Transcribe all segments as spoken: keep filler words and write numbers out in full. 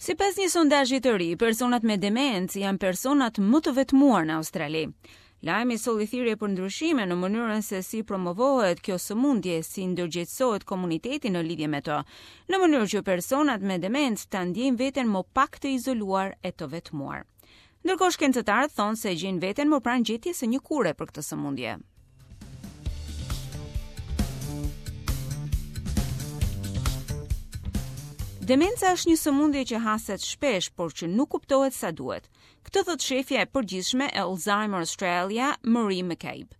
Sipas një sondazhi të ri, personat me demencë janë personat më të vetmuar në Australi. Lajmi solli thirrje për ndryshime në mënyrën se si promovohet kjo sëmundje, si ndërgjegjësohet komuniteti në lidhje me të, në mënyrë që personat me demencë ta ndjejnë veten më pak të izoluar e të vetmuar. Ndërkohë shkencëtarët thonë se gjejnë veten më pranë gjetjes së një kure për këtë sëmundje. Demenca është një sëmundje që haset shpesh, por që nuk kuptohet sa duhet. Këtë thot shefja e përgjithshme e Alzheimer Australia, Marie McCabe.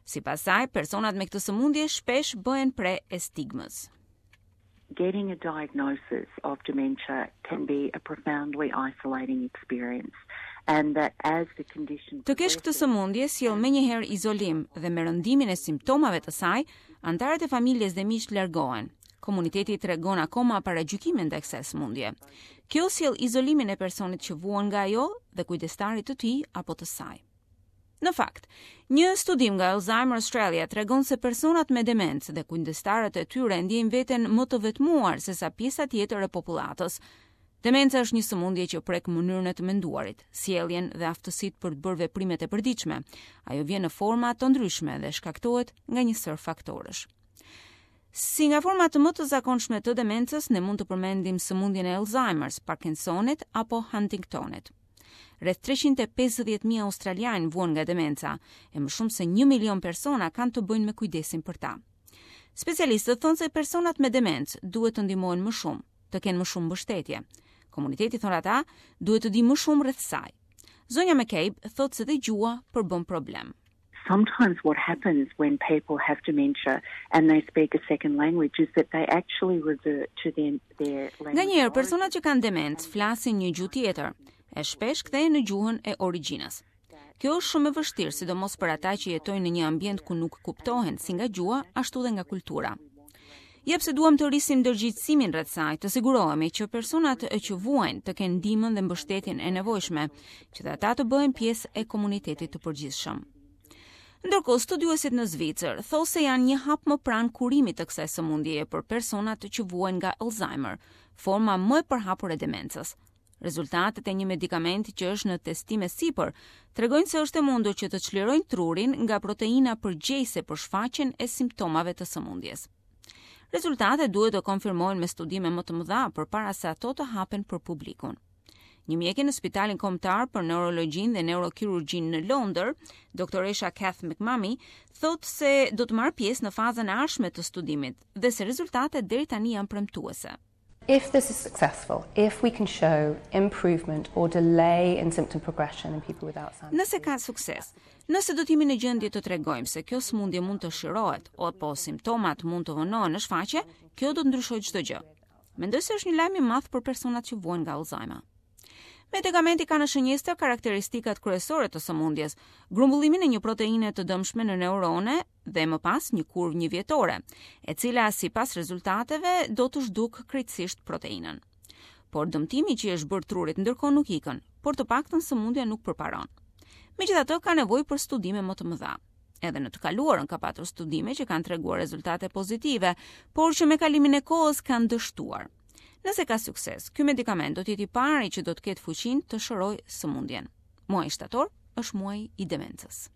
Sipas saj, personat me këtë sëmundje shpesh bëhen pre e stigmës. Getting a diagnosis of dementia can be a profoundly isolating experience and that as the condition Të kesh këtë sëmundje sjell menjëherë izolim dhe me rëndimin e simptomave të saj, anëtarët e familjes dhe miqtë largohen. Komuniteti tregon akoma paragjykime ndaj kësaj sëmundje. Kjo sjell izolimin e personit që vuan nga ajo dhe kujdestarit të tij apo të saj. Në fakt, një studim nga Alzheimer Australia tregon se personat me demencë dhe kujdestarët e tyre ndjejnë veten më të vetmuar se sa pjesa tjetër e popullatës. Demenca është një sëmundje që prek mënyrën e të menduarit, sjelljen dhe aftësitë për të bërë veprimet e përditshme. Ajo vjen në forma të ndryshme dhe shkaktohet nga një sërë faktorësh. Si nga format më të zakonshme të demencës, ne mund të përmendim sëmundjen e Alzheimer's, Parkinsonit apo Huntingtonit. Rreth treqind e pesëdhjetë mijë australianë vuan nga demenca, e më shumë se një milion persona kanë të bëjnë me kujdesin për ta. Specialistët thonë se personat me demencë duhet të ndihmohen më shumë, të kenë më shumë mbështetje. Komuniteti, thonë ata, duhet të di më shumë rreth saj. Zonja McCabe thotë se dhe gjuha përbën problem. Sometimes what happens when people have dementia and they speak a second language is that they actually revert to their, their language. Nganjëherë personat që kanë demencë flasin një gjuhë tjetër, e shpesh kthehen në gjuhën e origjinës. Kjo është shumë e vështirë, sidomos për ata që jetojnë në një ambient ku nuk kuptohen si nga gjuha, ashtu dhe nga kultura. Ja pse duam të rrisim ndërgjegjësimin rreth saj, të sigurohemi që personat që vuajnë të kenë ndihmën dhe mbështetjen e nevojshme, që dhe ata të bëhen pjesë e komunitetit të përgjithshëm. Ndërkohë, studiuesit në Zvicër thonë se janë një hap më pranë kurimit të kësaj sëmundjeje për personat që vuajnë nga Alzheimer, forma më e përhapur e demencës. Rezultatet e një medikamenti që është në testim e sipër tregojnë se është e mundur që të çlirojnë trurin nga proteina përgjegjëse për shfaqjen e simptomave të sëmundjes. Rezultatet duhet të konfirmohen me studime më të mëdha përpara se ato të hapen për publikun. Një mjeke në Spitalin Kombëtar për Neurologjinë dhe Neurokirurgjinë në Londër, doktoresha Kath McMummy, thotë se do të marrë pjesë në fazën e ardhshme të studimit dhe se rezultatet deri tani janë premtuese. If this is successful, if we can show improvement or delay in symptom progression in people with Alzheimer's. Nëse ka sukses, nëse do të jemi në gjendje të tregojmë se kjo sëmundje mund të shërohet apo simptomat mund të vonohen në shfaqje, kjo do të ndryshojë çdo gjë. Mendoj se është një lajm i madh për personat që vuajnë nga Alzheimer. Medikamenti ka në shënjestër karakteristikat kryesore të sëmundjes, grumbullimin e një proteine të dëmshme në neurone dhe më pas një kurvë një vjetore, e cila sipas rezultateve do të zhduk krejtësisht proteinën. Por dëmtimi që i është bërë trurit ndërkohë nuk ikën, por të paktën sëmundja nuk përparon. Megjithatë ka nevojë për studime më të mëdha. Edhe në të kaluarën ka patur studime që kanë treguar rezultate pozitive, por që me kalimin e kohës kanë dështuar. Nëse ka sukses, ky medikament do të jetë i pari që do të ketë fuqinë të shërojë sëmundjen. Muaji shtator është muaji i demencës.